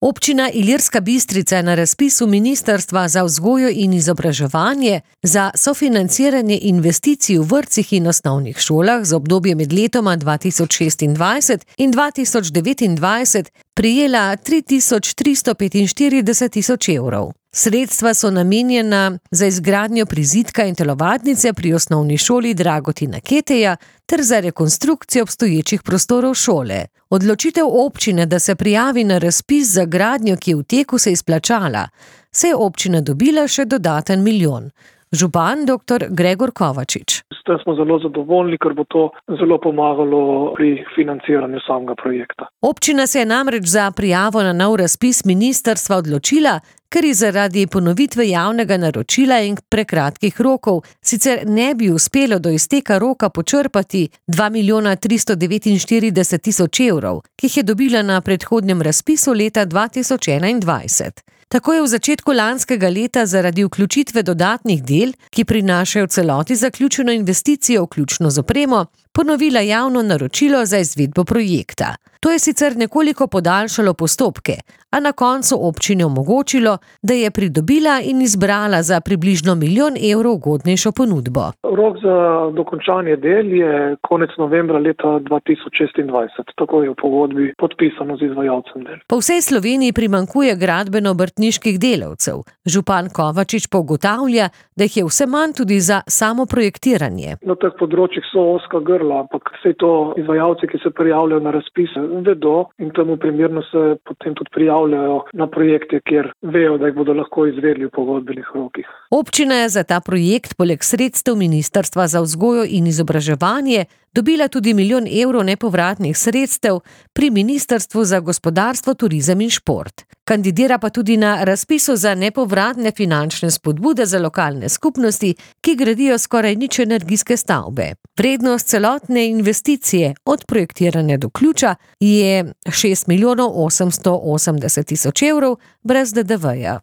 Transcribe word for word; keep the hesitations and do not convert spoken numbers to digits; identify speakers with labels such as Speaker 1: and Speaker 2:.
Speaker 1: Občina Ilirska Bistrica je na razpisu Ministrstva za vzgojo in izobraževanje za sofinanciranje investicij v vrtcih in osnovnih šolah za obdobje med letoma dva tisoč šestindvajset in dva tisoč devetindvajset prejela tri tisoč tristo petinštirideset tisoč evrov. Sredstva so namenjena za izgradnjo prizidka in telovadnice pri osnovni šoli Dragotina Keteja ter za rekonstrukcijo obstoječih prostorov šole. Odločitev občine, da se prijavi na razpis za gradnjo, ki je v teku, se izplačala, se je občina dobila še dodaten milijon. Župan doktor Gregor Kovačič.
Speaker 2: S tem smo zelo zadovoljni, ker bo to zelo pomagalo pri financiranju samega projekta.
Speaker 1: Občina se je namreč za prijavo na nov razpis ministrstva odločila, ker ji zaradi ponovitve javnega naročila in prekratkih rokov sicer ne bi uspelo do izteka roka počrpati dva milijona tristo devetinštirideset tisoč evrov, ki jih je dobila na predhodnem razpisu leta dva tisoč enaindvajset. Tako je v začetku lanskega leta zaradi vključitve dodatnih del, ki prinašajo v celoti zaključeno investicijo vključno z opremo, ponovila javno naročilo za izvedbo projekta. To je sicer nekoliko podaljšalo postopke, a na koncu občini omogočilo, da je pridobila in izbrala za približno milijon evrov ugodnejšo ponudbo.
Speaker 2: Rok za dokončanje del je konec novembra leta dva tisoč šestindvajset, tako je v pogodbi podpisano z izvajalcem del.
Speaker 1: Po vsej Sloveniji primanjkuje gradbeno-obrtniških delavcev. Župan Kovačič pa ugotavlja, da jih je vse manj tudi za samo projektiranje.
Speaker 2: Na teh področjih so ozka grla, ampak vse to izvajalci, ki se prijavljajo na razpise, vedo in temu primerno se potem tudi prijavljajo na projekte, kjer vejo, da jih bodo lahko izvedli v pogodbenih rokih.
Speaker 1: Občina je za ta projekt poleg sredstev Ministrstva za vzgojo in izobraževanje dobila tudi milijon evrov nepovratnih sredstev pri Ministrstvu za gospodarstvo, turizem in šport. Kandidira pa tudi na razpisu za nepovratne finančne spodbude za lokalne skupnosti, ki gradijo skoraj nič energijske stavbe. Vrednost celotne investicije od projektiranja do ključa je šest milijonov osemsto osemdeset tisoč evrov brez D D V-ja.